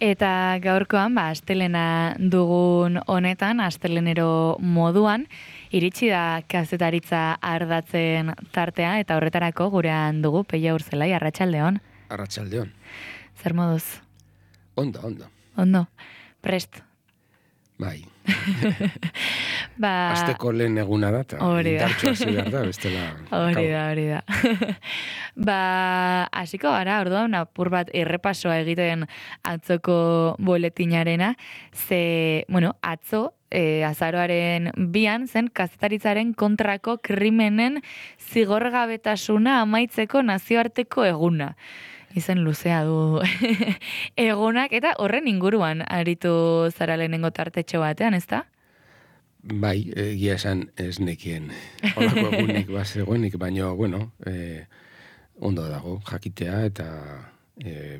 Eta gaurkoan, astelena dugun honetan, astelenero moduan, iritsi da kazetaritza ardatzen tartea, eta horretarako gurean dugu Peia Urzelai, arratsaldeon. Arratsaldeon. Zer moduz? Ondo. Ondo. Prest. Bai. Asteko lehen eguna da, eta indartxo hasi behar da, bestela... Hori da. Hasiko gara, orduan, apur bat errepasoa egiten atzoko boletinarena, atzo, azaroaren 2 zen kazetaritzaren kontrako krimenen zigorgabetasuna amaitzeko nazioarteko eguna. Izen luzea du egunak, eta horren inguruan aritu zara lehenengo tartetxo batean, ezta? Bai, egia esan ez nekien holako egunik bazegoenik, baina, ondo dago jakitea, eta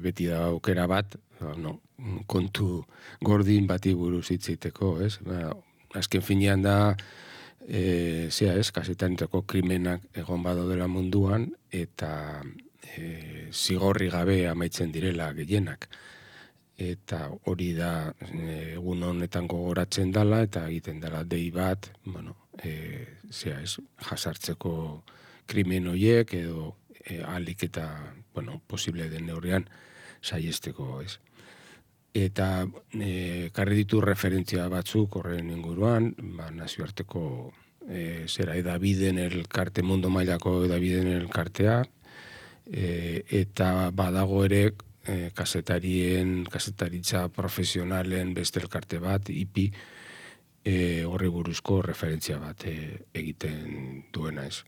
beti da aukera bat, kontu gordin bati buruz hitzeiteko, ez? Azken finean da, kazetanitako krimenak egon badaudela munduan, eta zigorri gabe amaitzen direla gehienak. Eta hori da egun honetan gogoratzen dela, eta egiten dela dei bat, jasartzeko krimen horiek, edo ahalik eta, posible den neurrian saiesteko, ez. Eta karri ditu referentzia batzuk horren inguruan, nazioarteko edabideen elkarte, mundu mailako edabideen elkartea, eta badago ere kazetaritza profesionalen beste elkarte bat, IPI, horri buruzko referentzia bat egiten duena, ez.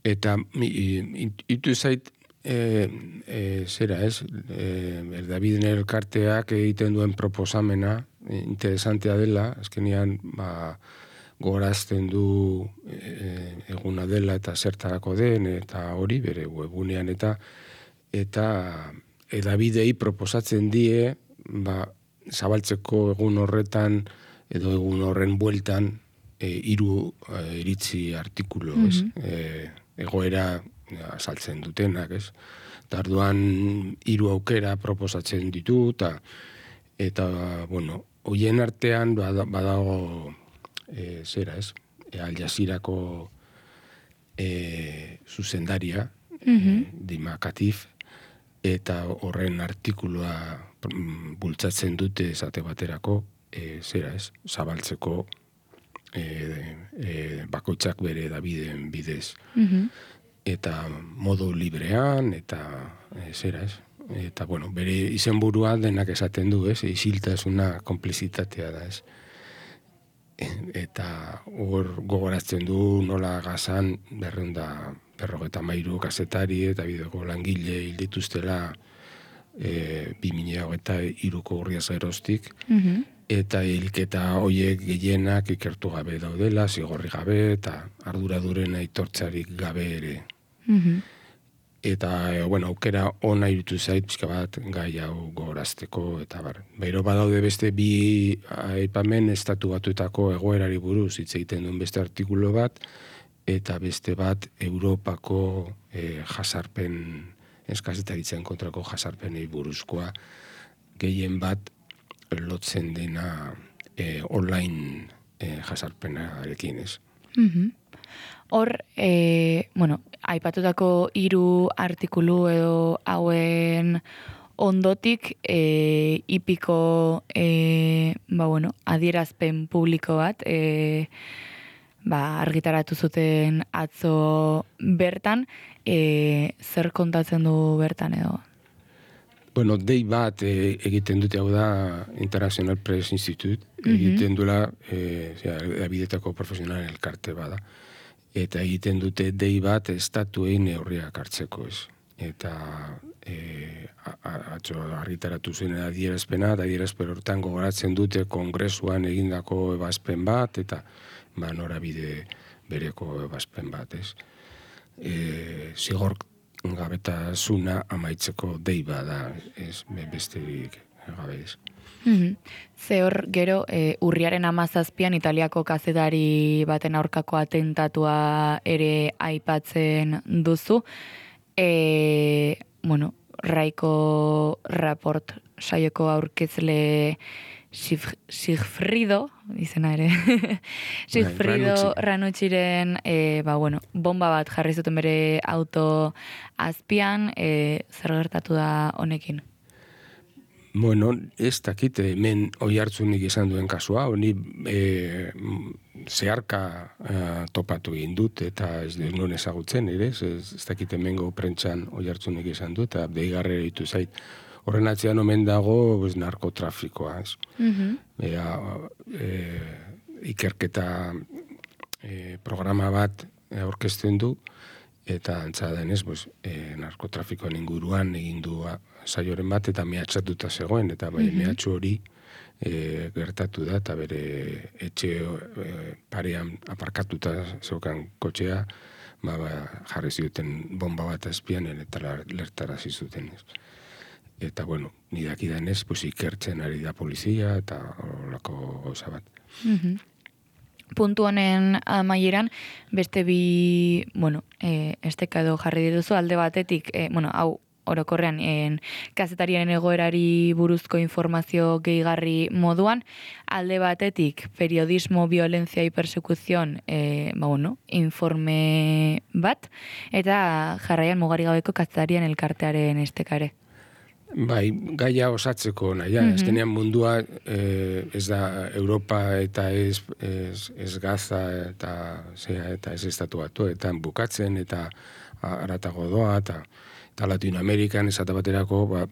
Eta itu zait, erdabideen elkarteak egiten duen proposamena interesantea dela, azkenean gorazten du eguna dela eta zertarako den, eta hori bere webunean, eta edabidei proposatzen die zabaltzeko egun horretan edo egun horren bueltan 3 iritzi artikulu, egoera azaltzen dutenak, ez? Tarduan 3 aukera proposatzen ditu, eta hoien artean badago Al Jazeerako zuzendaria, Dima Katif, eta horren artikulua bultzatzen dute esate baterako, zabaltzeko bakoitzak bere edabideen bidez. Eta modu librean, eta eta, bere izenburua denak esaten du, isiltasuna, konplizitatea da, ez. Eta hor gogoratzen du nola Gazan 253 kazetari eta bideko langile hil dituztela 2023ko urriaz geroztik, eta hilketa horiek gehienak ikertu gabe daudela, zigorri gabe, eta arduraduren aitortzarik gabe ere. Eta, aukera ona irutu zait, pixka bat, gai hau gogorazteko, eta Bero badaude beste 2 aipamen estatu batuetako egoerari buruz hitz egiten duen beste artikulu bat, eta beste bat Europako jasarpen, kazetaritzaren kontrako jasarpenei buruzkoa, gehien bat lotzen dena online jasarpenarekin, ez. Hor, aipatutako 3 artikulu edo hauen ondotik IPIko adierazpen publiko bat argitaratu zuten atzo bertan, zer kontatzen du bertan edo? Dei bat egiten dute, hau da International Press Institute, egiten duela edabidetako profesionalen elkarte bada. Eta egiten dute dei bat estatuei neurriak hartzeko, ez. Eta atzo argitaratu zen adierazpena, eta adierazpen hortan gogoratzen dute kongresuan egindako ebazpen bat, eta norabide bereko ebazpen bat, ez. Zigor gabetasuna amaitzeko dei bada, ez, besterik gabe, ez. Ze hor, gero, urriaren 17an Italiako kazetari baten aurkako atentatua ere aipatzen duzu. Raiko Raport saioko aurkezle Sigfrido, izena ere, Sigfrido Ranucciren, bomba bat jarri zuten bere auto azpian, zer gertatu da honekin? Bueno, ez dakit, hemen Oiartzunik izan duen kasua, honi zeharka topatu egin dut, eta ez non ezagutzen, ere, ez dakit hemengo prentxan Oiartzunik izan dut, eta deigarre ditu zait. Horren atzean omen dago narkotrafikoa, ez? Ikerketa programa bat aurkezten du, eta antza denez, narkotrafikoen inguruan egin du saioren bat, eta mehatxatuta zegoen, eta mehatxu hori gertatu da, eta bere etxe parean aparkatuta zeukan kotxea, jarri zuten bomba bat azpian, eta lertarazi zuten, ez? Eta, ni dakidanez, ikertzen ari da polizia, eta horrelako gauza bat. Puntu honen amaieran, beste bi, esteka edo jarri dituzu, alde batetik, hau orokorrean, kazetariaren egoerari buruzko informazio gehigarri moduan, alde batetik, periodismo, violencia y persecución, informe bat, eta jarraian mugari gabeko kazetarian elkartearen estekare. Bai, gaia osatzeko naia, azkenean mundua ez da Europa eta ez Gaza eta ez Estatu Batuetan bukatzen eta haratago doa eta Latinoamerikan esate baterako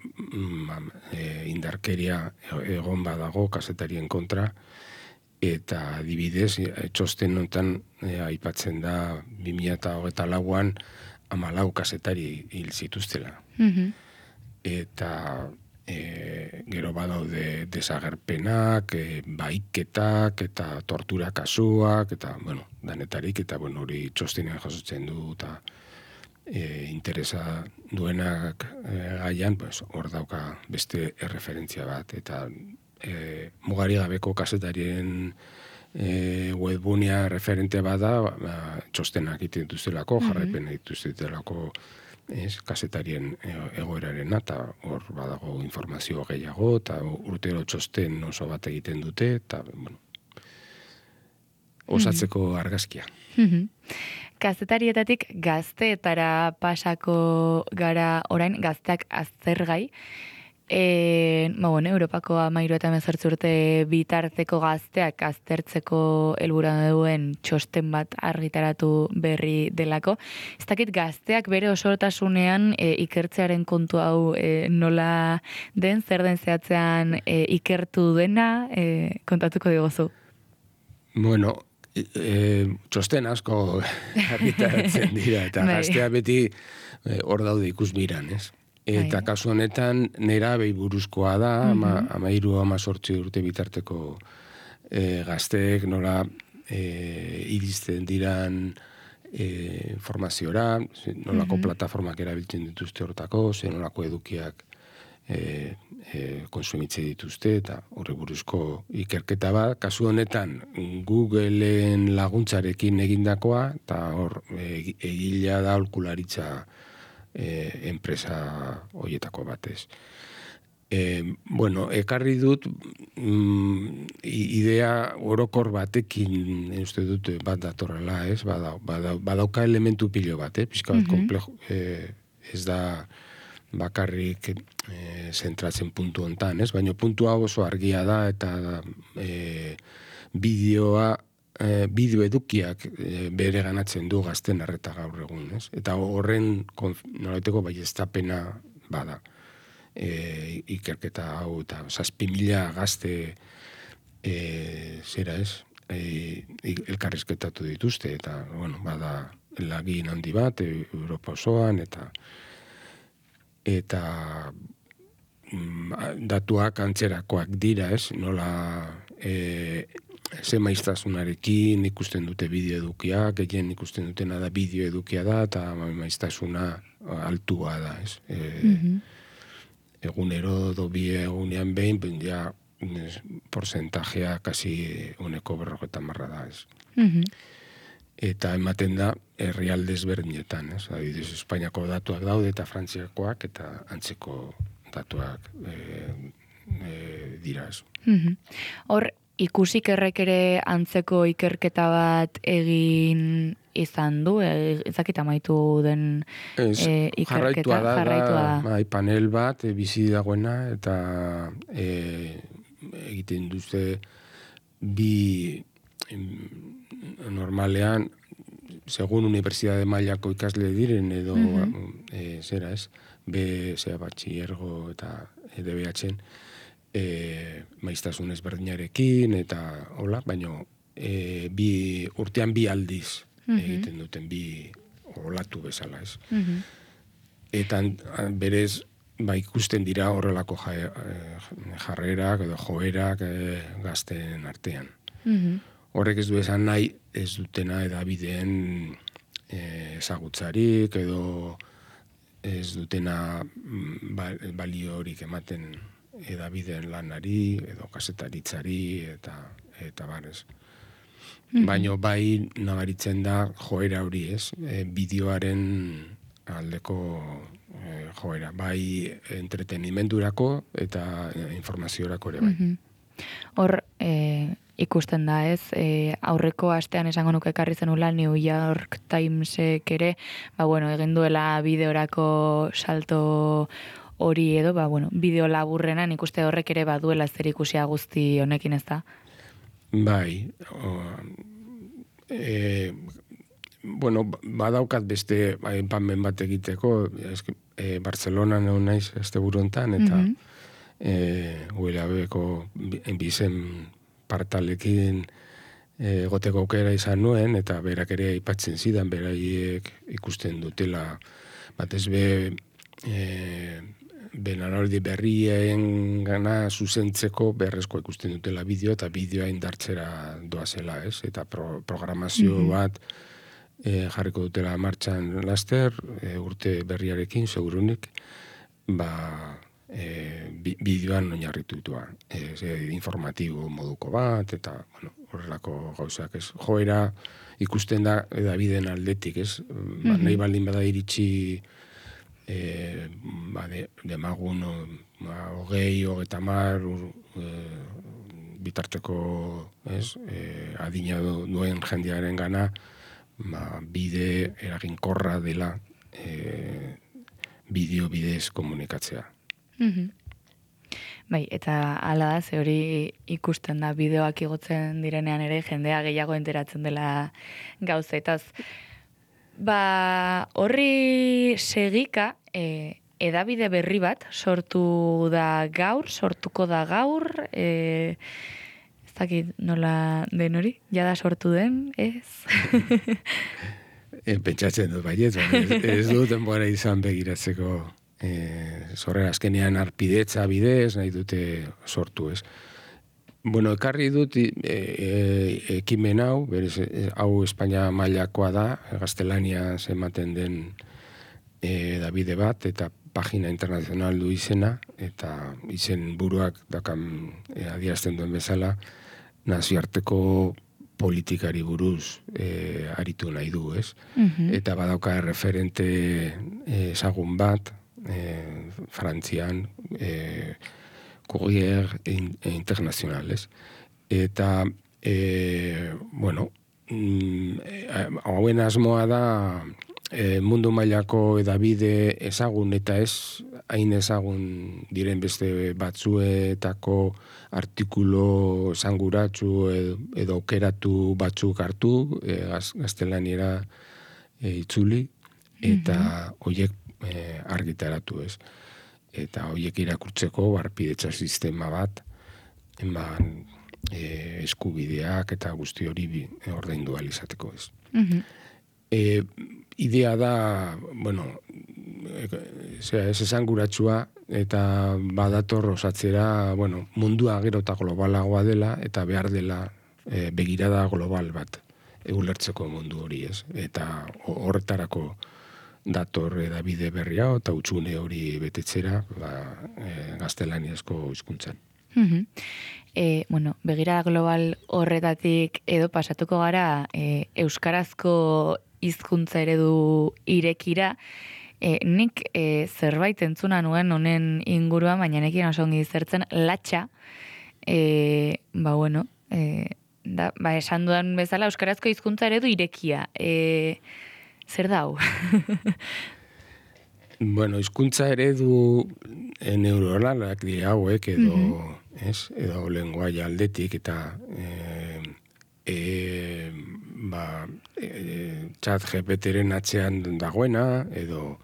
indarkeria egon badago kazetarien kontra eta adibidez txosten honetan aipatzen da 2024an 14 kazetari hil zituztela. Eta gero badaude desagerpenak, baiketak eta tortura kasuak, eta, danetarik, eta, hori txostenean jasotzen du, eta interesa duenak gaian, hor dauka beste erreferentzia bat, eta mugari gabeko kazetarien webgunea referente bada, txostenak egiten duztelako, jarraipen egiten duztelako, kazetarien egoeraren eta hor badago informazio gehiago eta urtero txosten oso bat egiten dute eta osatzeko argazkia. Kazetarietatik gazteetara pasako gara orain gazteak aztergai. Europako 13 eta 18 urte bitarteko gazteak aztertzeko helburua duen txosten bat argitaratu berri delako. Ez dakit gazteak bere osortasunean ikertzearen kontu hau nola den, zer den zehatzean ikertu dena, kontatuko digozu. Txosten asko argitaratzen dira, eta gaztea beti hor daude ikusmiran, ez? Eta kasu honetan nera buruzkoa da, 13-18 urte bitarteko gazteek nola iristen diran formaziora, nolako plataformak erabiltzen dituzte hortako, nolako edukiak konsumitze dituzte, eta horre buruzko ikerketa bat. Kasu honetan Googleen laguntzarekin egindakoa, eta hor egilea da aholkularitza enpresa horietako batez. Ekarri dut idea orokor batekin uste dut bat datorrela, ez? Badauka elementu pilo bat, pixka bat komplejo, ez da bakarrik zentratzen puntu hontan, ez? Baina puntu hau oso argia da eta bideo edukiak bere ganatzen du gazten arreta gaur egun, ez? Eta horren nolaiteko baieztapena bada. Ikerketa hau eta 7.000 gazte elkarrizketatu dituzte eta, bada lagin handi bat Europa osoan eta datuak antzerakoak dira, ez? Nola ze maiztasunarekin ikusten dute bideo edukiak, gehien ikusten dutena da bideo edukia da, eta maiztasuna altua da, ez? Egunero bi egunean behin, porcentajea kasi 40% da, ez? eta ematen da herrialde ezberdinetan, ez? Adibidez, Espainiako datuak daude eta Frantziakoak eta antzeko datuak dira, ez. Hor, ikusikerrek ere antzeko ikerketa bat egin izan du, ezakit amaitu den ikerketa, jarraitua da. Panel bat, bizi dagoena, eta egiten duzte bi normalean, segun unibertsitate mailako ikasle diren, edo zera ez, batxillergo eta DBH-en, maiztasun ezberdinarekin, eta hola, baina urtean bi aldiz egiten duten, bi olatu bezala, ez. Eta berez, ikusten dira horrelako jarrerak edo joerak gazten artean. Horrek ez du esan nahi, ez dutena edabideen ezagutzarik edo ez dutena baliorik ematen edabideen lanari edo kasetaritzari eta barez. Baina bai nabaritzen da joera hori, ez? Bideoaren aldeko joera, bai entretenimendurako eta informaziorako ere bai. Hor, ikusten da, ez? Aurreko astean esango nuke ekarri zenula New York Timesek ere, egin duela bideorako salto hori edo, bideo laburrena, ikuste horrek ere baduela zer ikusia guzti honekin, ez da? Bai, badaukat beste enpanmen bat egiteko, Bartzelonan egon naiz asteburu hontan, eta ULAB-ko bizen partalekin egoteko aukera izan nuen, eta berak ere aipatzen zidan, beraiek ikusten dutela, batez benaraldi berrien gana zuzentzeko beharrezko ikusten dutela bideo, eta bideoa indartzera doazela, ez? Eta programazio bat jarriko dutela martxan laster, urte berriarekin, segurunik, bideoan oinarritu ditua. Informatibo moduko bat, eta horrelako gauzak, ez? Joera ikusten da edabideen aldetik, ez? Nahi baldin bada iritsi demagun 20-30 bitarteko adina duen jendearen gana bide eraginkorra dela bideo bidez komunikatzea. Bai, eta hala da, ze hori ikusten da bideoak igotzen direnean ere jendea gehiago enteratzen dela gauzetaz. Horri segika, edabide berri bat sortuko da gaur, ez dakit nola den hori, jada sortu den, ez? Pentsatzen dut baiet, ez dut denbora izan begiratzeko zorrera azkenean arpidetza bidez, nahi dute sortu, ez? Ekarri dut ekimen hau, berez, hau Espainia mailakoa da, gaztelania ematen den edabide bat, eta pagina internazional du izena, eta izen buruak dakan adierazten duen bezala, nazioarteko politikari buruz aritu nahi du, ez? Eta badauka referente ezagun bat, Frantzian, Courrier Internacionales. Eta, hauen asmoa da mundu mailako edabide ezagun eta ez hain ezagun diren beste batzuetako artikulo esanguratsu edo aukeratu batzuk hartu, gaztelaniera itzuli, eta horiek argitaratu, ez. Eta horiek irakurtzeko arpidetza sistema bat, eskubideak eta guzti hori ordaindu ahal izateko, ez. Idea da, ez esanguratsua, eta badator osatzera, mundua gero eta globalagoa dela, eta behar dela begirada global bat ulertzeko mundu hori, ez. Eta horretarako dator edabide berria eta hutsune hori betetzera gaztelaniazko hizkuntzan. Bueno, begira global horretatik edo pasatuko gara euskarazko hizkuntza eredu irekira, nik zerbait entzuna nuen honen inguruan, baina nekin oso ongi zertzen, latxa, esan dudan bezala euskarazko hizkuntza eredu irekia. Zer da hau? Bueno, hizkuntza eredu neuronalak dira hauek edo, edo lenguaia aldetik eta chat GPT-ren atzean dagoena edo,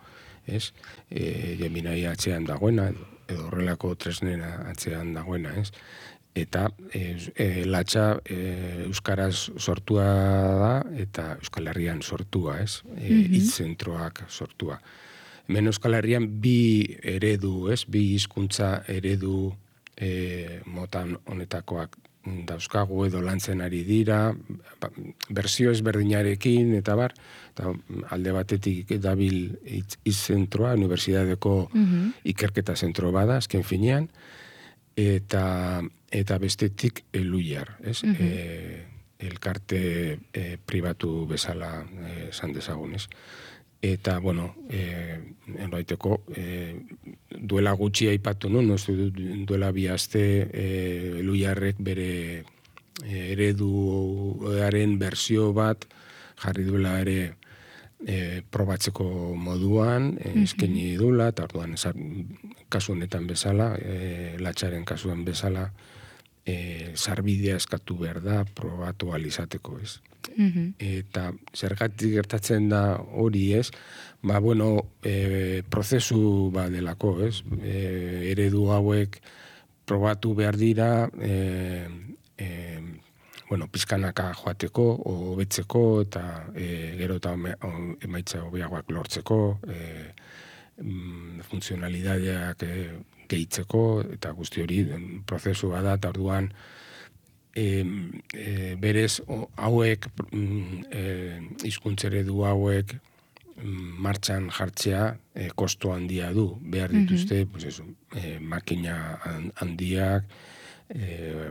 Gemini atzean dagoena edo horrelako tresnera atzean dagoena, Eta latxa euskaraz sortua da eta Euskal Herrian sortua, hitz-zentroak sortua. Hemen Euskal Herrian bi eredu, bi hizkuntza eredu motan honetakoak dauzkagu edo lantzen ari dira, berzio ezberdinarekin eta bar, eta alde batetik dabil hitz-zentroa, unibertsitateko ikerketa zentro bada, azken finean, eta bestetik Luiar, elkarte pribatu bezala esan dezagun, Eta, bueno, enbaiteko, duela gutxi aipatu nuen, duela bi aste Luiarrek bere ereduaren berzio bat jarri duela ere probatzeko moduan, eskaini dula, eta orduan kasu honetan bezala, latxaren kasuan bezala, sarbidea eskatu behar da probatu alizateko, Eta zergatik gertatzen da hori, prozesu badelako, eredu hauek probatu behar dira, pizkanaka joateko, hobetzeko, eta gero eta emaitza hobeagoak lortzeko, funtzionalidadeak gehitzeko, eta guzti hori prozesu bada, eta orduan berez hauek, hizkuntzeredu hauek martxan jartzea kostu handia du. Behar dituzte, makina handiak,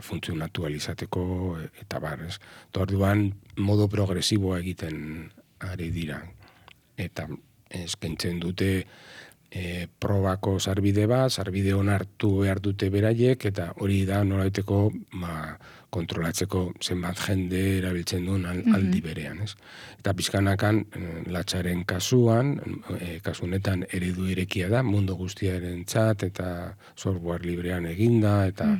funtzionatu alizateko, eta bar, Orduan, modo progresiboa egiten ari dira. Eta eskaintzen dute probako sarbide bat, sarbide onartu behar dute beraiek, eta hori da nolaiteko kontrolatzeko zenbat jende erabiltzen duen aldi berean. Eta pizkanakan latxaren kasuan, kasunetan eredu irekia da, mundu guztiaren txat, eta software librean eginda, eta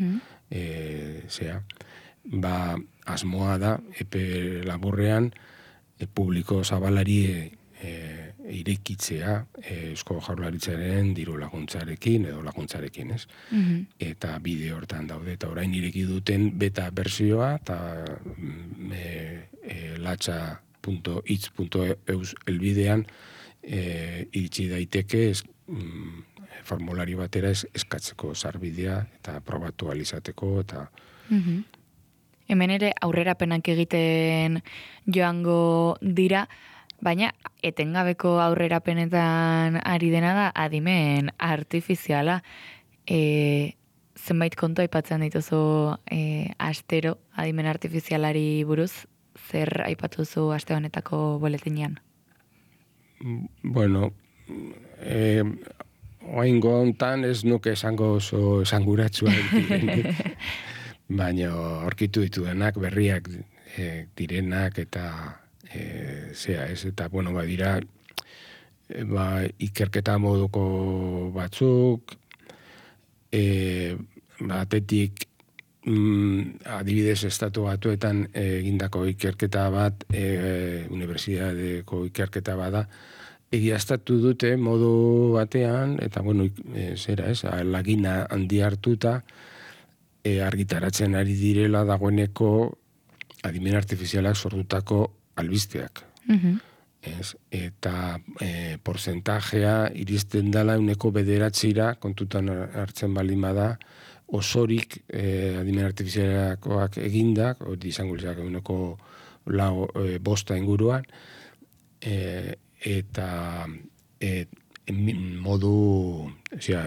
asmoa da, epe laburrean, publiko zabalari irekitzea Eusko Jaurlaritzaren diru laguntzarekin edo laguntzarekin, Eta bide hortan daude, eta orain ireki duten beta bersioa, eta latxa.itz.eus elbidean iritsi daiteke formulari batera eskatzeko sarbidea eta probatu alizateko, eta Hemen ere aurrerapenak egiten joango dira, baina etengabeko aurrerapenetan ari dena da adimen artifiziala. Zenbait kontu aipatzen dituzu astero adimen artifizialari buruz, zer aipatuzu aste honetako boletinean? Bueno, oraingo hontan ez nuke esango oso esanguratsua direnik, baina aurkitu ditudanak berriak direnak eta eta badira ikerketa moduko batzuk, batetik adibidez estatu batuetan egindako ikerketa bat, unibertsitateko ikerketa bada, egiaztatu dute modu batean, eta lagina handi hartuta, argitaratzen ari direla dagoeneko adimen artifizialak sortutako albisteak. Eta porzentajea iristen dela 9% kontutan hartzen baldin bada, osorik adimen artifizialakoak egindak, hori izango lizak 9,5% inguruan, eta modu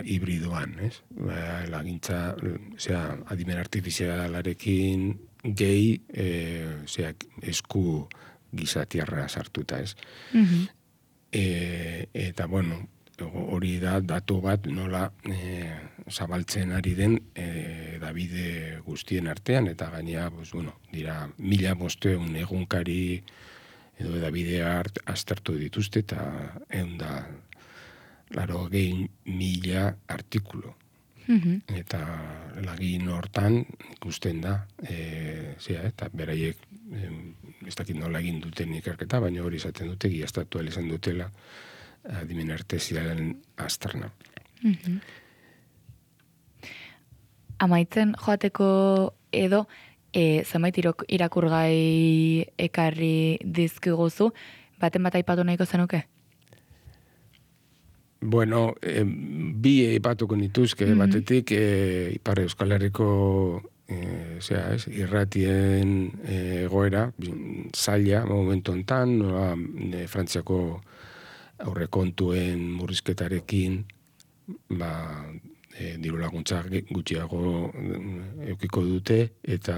hibridoan, ez? Lagintza, adimen artifizialarekin gehi, esku gizatiarra sartuta, ez? Eta, bueno, hori da datu bat nola zabaltzen ari den Davide guztien artean, eta gainea, dira 1500 egunkari edo Davide aztertu dituzte, eta 180.000 artikulu. Eta lagin hortan ikusten da, eta beraiek ez dakit nola egin duten ikerketa, baina hori izaten dute, giaztatu izan dutela adimen artifizialen azterna. Amaitzen joateko edo, zenbait irakurgai ekarri dizkiguzu, baten bat aipatu nahiko zenuke? Bueno, bi aipatuko nituzke, batetik Ipar Euskal Herriko irratien egoera, zaila momentu hontan, Frantziako aurrekontuen murrizketarekin, diru laguntza gutxiago eukiko dute, eta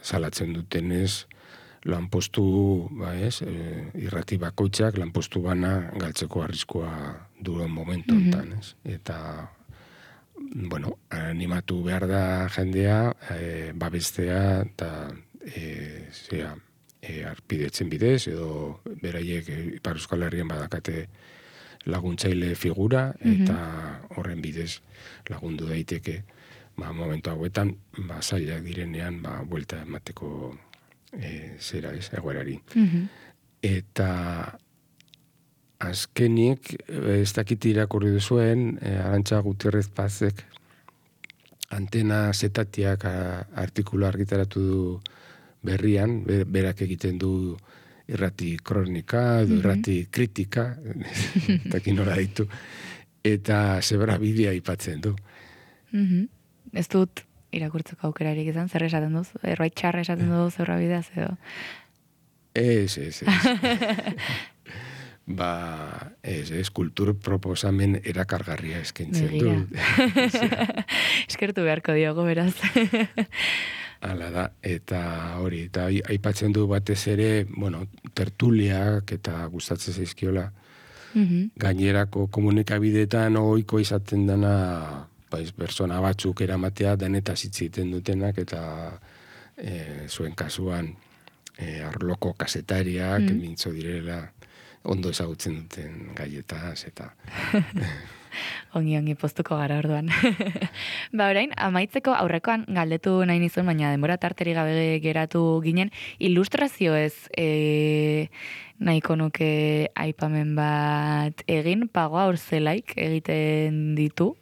salatzen dutenez, lanpostu, irrati bakoitzak, lanpostu bana galtzeko arriskua duen momentu hontan, eta, bueno, animatu behar da jendea, babestea, eta arpidetzen bidez, edo beraiek Ipar Euskal Herrian badakate laguntzaile figura, eta horren bidez lagundu daiteke, momentu hauetan, zailak direnean, buelta emateko egoerari. Eta azkenik, ez dakit irakurri duzuen, Arantxa Gutierrez Pazek Antena Zetatiak artikulu argitaratu du berrian, berak egiten du irrati kronika, edo irrati kritika, eta nola ditu, eta zebra bidea aipatzen du. Ez dut irakurtzeko aukerarik izan, zer esaten duz? Erbait txarra esaten du zebra bideaz edo? Ez. Ez, kultur proposamen erakargarria eskaintzen du. Eskertu beharko diogo, beraz. Hala da, eta hori, eta aipatzen du batez ere, tertuliak eta gustatzen zaizkiola, gainerako komunikabideetan ohiko izaten dena, persona batzuk eramatea denetaz hitz egiten dutenak, eta zuen kasuan arloko kazetariak mintzo direla ondo ezagutzen duten gaietaz, eta... Ongi postuko gara orduan. Orain, amaitzeko aurrekoan galdetu nahi nizun, baina denbora tarteri gabe geratu ginen, ilustrazioez nahiko nuke aipamen bat egin, Pagoa Orzelaik egiten ditu,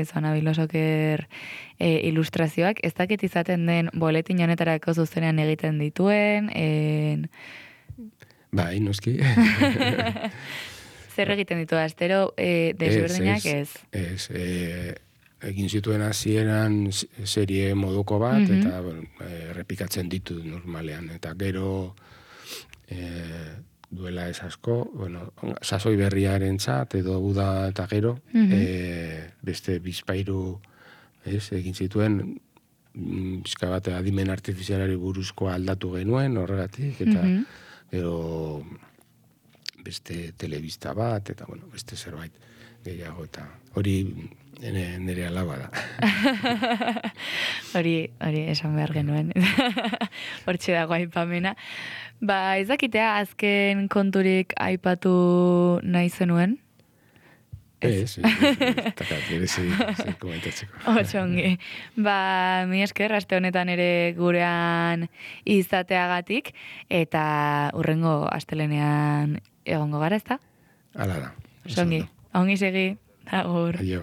Zona Bilosoker ilustrazioak, ez dakit izaten den boletin honetarako zuzenean egiten dituen, Bai, noski. Zer egiten ditu, astero desberdinak ez? Ez, egin zituen hasieran serie moduko bat, eta errepikatzen ditu normalean, eta gero duela ez asko, sasoi berriaren txat, edo uda eta gero, beste bizpairu egin zituen, bizka bat adimen artifizialari buruzkoa aldatu genuen, horregatik, eta gero beste telebista bat, eta beste zerbait gehiago, eta hori nire alaba da. Hori esan behar genuen. Hortxe dago aipamena. Ez dakitea azken konturik aipatu nahi zenuen? Ez, komentatzeko. Otxongi. Mi esker, aste honetan ere gurean izateagatik, eta urrengo astelenean egongo gara, ezta? Hala da. Ongi segi. Agur. Aio.